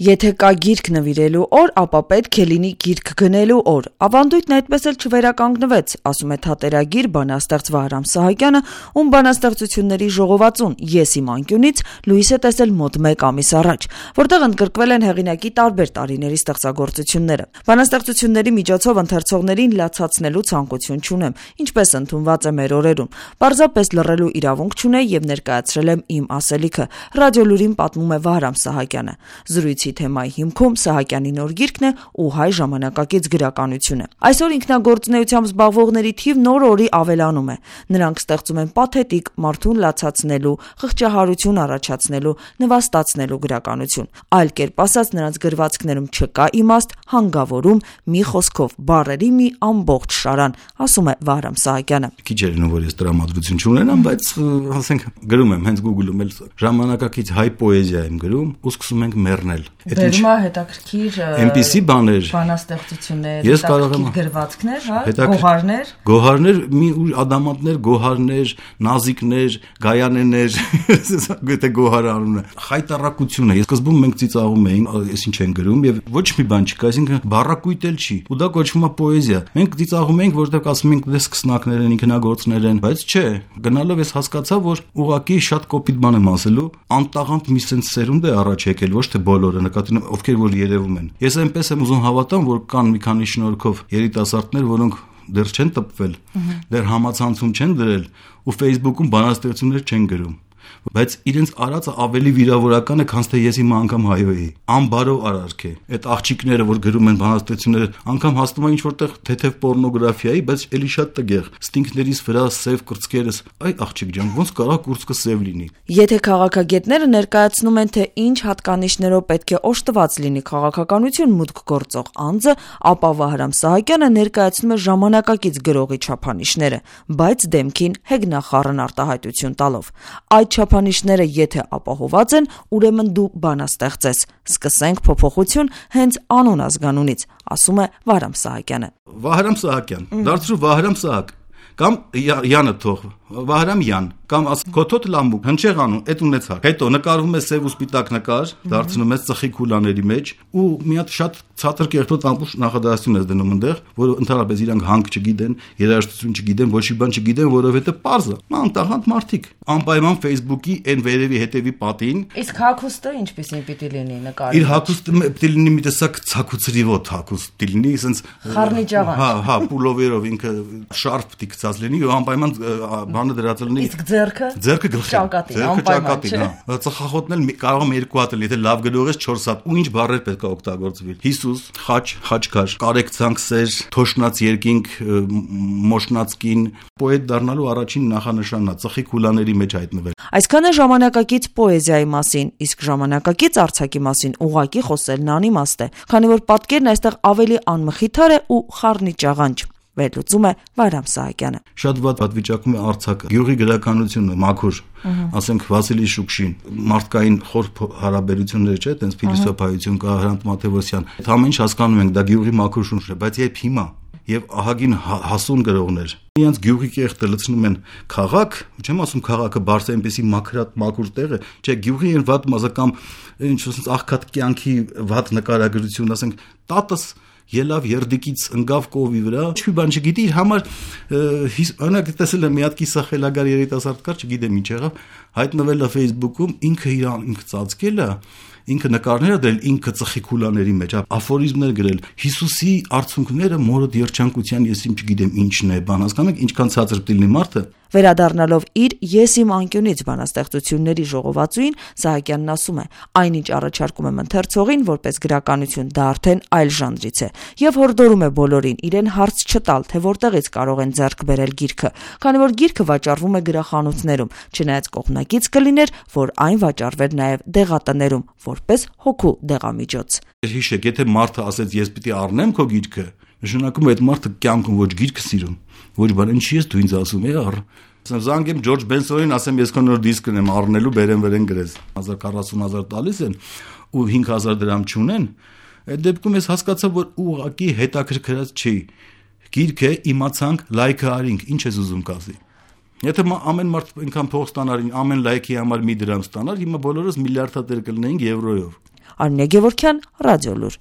Եթե կա գիրք նվիրելու օր, ապա պետք է լինի գիրք գնելու օր։ Ավանդույթն այդպես էլ չվերականգնվեց, ասում է թատերագիր բանաստեղծ Վահրամ Սահակյանը, ում բանաստեղծությունների ժողովածուն «Ես իմ անկյունից» լույս է տեսել մոտ 1 ամիս առաջ, որտեղ ընդգրկվել են հեղինակի տարբեր տարիների ստեղծագործությունները։ Բանաստեղծությունների միջոցով ընթերցողներին լացացնելու ցանկություն չունեմ, ինչպես ընդունված է մեր օրերում։ Պարզապես լռելու իրավունք չունեի եւ ներկայացրել եմ իմ ասելիքը, Ռադիոլուրին պատմում է Վահրամ Սահակյանը։ Զրույցի թեմայի հիմքում Սահակյանի նոր գիրքն է ու հայ ժամանակակից գրականությունը։ Այսօր ինքնագործունեությամբ զբաղվողների թիվն օր-օրի ավելանում է։ Նրանք ստեղծում են պաթետիկ, մարդուն լացացնելու, խղճահարություն առաջացնելու, նվաստացնելու գրականություն։ Այլ կերպ ասած, նրանց գրվածքներում չկա իմաստ, հանգավորում, մի խոսքով բառերի մի ամբողջ շարան, ասում է Վահրամ Սահակյանը։ Քիչ է լինում, որ ես տրամադրություն չունենամ, բայց ասենք գրում եմ հենց Google-ում էլ ժամանակակից հայ պոեզիա եմ գրում ու սկսում ենք մեռնել։ Բերում է հետաքրքիր այնպիսի բաներ, բանաստեղծություններ, ես կարող եմ գրվածքներ, հա, գոհարներ, մի ադամատներ, գոհարներ, նազիկներ, գայանեներ, գտե գոհար անունը, խայտարակությունը։ Ես սկզբում մենք ծիծաղում էինք, ես ինչ են գրում եւ ոչ մի բան չկա, այսինքն բառակույտ էլ չի։ Ու դա կոչվում է պոեզիա։ Մենք ծիծաղում էինք, որտեղ ասում ենք դες սկսնակներ են, ինքնագործներ են, բայց չէ, գնալով ես հասկացա, որ ուղղակի շատ կոպիտ բան եմ ասելու, անտաղանդ մի sense սերունդ է առաջ եկել, ոչ թե բոլորը, նկատի ունեմ, ովքեր որ երևում են։ Ես այնպես եմ ուզում հավատամ, որ կան մի քանի շնորհքով երիտասարդներ, որոնք դեռ չեն տպվել, դեռ համացանցում չեն դրել ու Facebook-ում բանաստեղծություններ չեն գրում, բայց իրենց արածը ավելի վիրավորական է, քան թե ես իմ անգամ հայո էի։ Անբարով արարք է։ Այդ աղջիկները, որ գրում են բանաստեղծությունները, անգամ հասնում են ինչ-որտեղ թեթև պորնոգրաֆիայի, բայց էլի շատ տգեղ։ Ստինքներիս վրա սև կրծքերս, այ աղջիկ ջան, ոնց կարա կուրծքը սև լինի։ Եթե քաղաքագետները ներկայացնում են, թե ինչ հատկանիշներով պետք է օժտված լինի քաղաքականություն մուտք գործող անձը, ապա Վահրամ Սահակյանը ներկայացնում է ժամանակակից գրողի չափանիշները, բայց դեմքին հեգնախառն արտահայտություն տալով։ Այդ չափանիշները եթե ապահոված են, ուրեմն դու բանաստեղծ ես։ Սկսենք փոփոխություն հենց անուն ազգանունից, ասում է Վահրամ Սահակյանը։ Վահրամ Սահակյան, դարձրու Վահրամ Սահակ, կամ Յանը թող, Վահրամ Յան, կամ կոթոտ լամբուկ, հնչեղ անուն, այդ ունեցար։ Հետո նկարվում է սև ու սպիտակ նկար, դարձնում ես ծխի քուլաների մեջ ու մի հատ շատ ցածր կերտոտ ամբողջ նախադասություն ես դնում այնտեղ, որը ընդհանրապես իրանք հանք չգիտեն, երաժշտություն չգիտեն, ոչ մի բան չգիտեն, որովհետև պարզ է։ Մանտաղանդ մարդիկ, անպայման Facebook-ի այն վերևի հետևի պատին։ Իսկ հագուստը ինչպեսին պիտի լինի նկարի։ Իր հագուստը պիտի լինի մի տեսակ ցակուցրիվոտ հագուստ, պիտի լինի, ասենց խառնիճաղանջ։ Հա, պուլովերով ինքը շարֆ պիտի գցած լինի ու անպայման բանը դրած լինի։ Իսկ ձեռքը գլխին, ճակատին, հա։ Ծխախոտն էլ կարող եմ 2 հատ, եթե լավ գրող ես 4 հատ, ու ինչ բառեր պետք է օգտագործվի։ Հիսուս, խաչ, խաչքար, կարեկցանք սեր, թոշնած երկինք, մոշնածկին, պոետ դառնալու առաջին նախանշանն է ծխի քուլաների մեջ հայտնվել։ Այսքանը ժամանակակից պոեզիայի մասին, իսկ ժամանակակից արձակի մասին ուղղակի խոսելն անիմաստ է, քանի որ պատկերն այստեղ ավելի անմխիթար է ու խառնիճաղանջ։ Վերլուծում է Վահրամ Սահակյանը։ Շատ վատ պատվիճակում է արձակը։ Գյուղի գրականությունը մաքուր, ասենք Վասիլի Շուկշին, մարդկային խոր հարաբերությունները չէ, այտենց փիլիսոփայություն կա, Հրանտ Մաթեոսյան։ Այդ ամեն ինչ հասկանում ենք, դա գյուղի մաքուր շունչն է, բայց երբ հիմա եւ ահագին հասուն գրողներ իրենց գյուղի կեղտը լցնում են քաղաք, չեմ ասում քաղաքը բարձր այնպեսի մաքուր տեղ է, չէ, գյուղի այն վատ մազակամ ինչ ասած աղքատ կյանքի վատ նկարագրություն, ասենք տատս ելավ երդիկից ընկավ կովի վրա, չի բան չգիտի, իր համար օրինակ տեսել եմ մի հատ կիսախելագար երիտասարդ կար, չգիտեմ ինչ եղավ, հայտնվել է Facebook-ում, ինքը ծածկել է, ինքը նկարներ դրել, ինքը ծխի քուլաների մեջ, աֆորիզմներ գրել, Հիսուսի արցունքները մորդ երջանկության ես իմ չգիտեմ ինչն է, բան հասկանու եք ինչքան ցածր պիտի լինի մարդը։ Վերադառնալով իր «Ես իմ անկյունից» բանաստեղծությունների ժողովածուին, Սահակյանն ասում է. այնինչ առաջարկում եմ ընթերցողին որպես գրականություն, դա արդեն այլ ժանրից է, եւ հորդորում է բոլորին իրեն հարց չտալ, թե որտեղից կարող են ձեռք բերել գիրքը, քանի որ գիրքը վաճառվում է գրախանութներում, չնայած կողմնակից կլիներ, որ այն վաճառվեր նաեւ դեղատներում, որպես հոգու դեղամիջոց։ Հիշեք, եթե մարդը ասեց ես պիտի առնեմ քո գիրքը, նշանակում է այդ մարդը կյանքում ոչ գիրք սիրում, ոչ բան, ինչի ես դու ինձ ասում ես առ։ Զանգեմ Ջորջ Բենսոնին, ասեմ ես քո նոր դիսկն եմ առնելու, բերեմ վրեն գրես։ 1040,000 տալիս են ու 5000 դրամ չունեն, այդ դեպքում ես հասկացա, որ ուղղակի հետաքրքրած չի։ Գիրքը իմացանք, լայքը արինք, ինչ ես ուզում կասի։ Եթե ամեն մարդ այնքան փող ստանար, ամեն լայքի համար մի դրամ ստանար, հիմա բոլորս միլիարդատեր կլինեինք եվրոյով։ Արմինե Գևորգյան, Ռադիոլուր։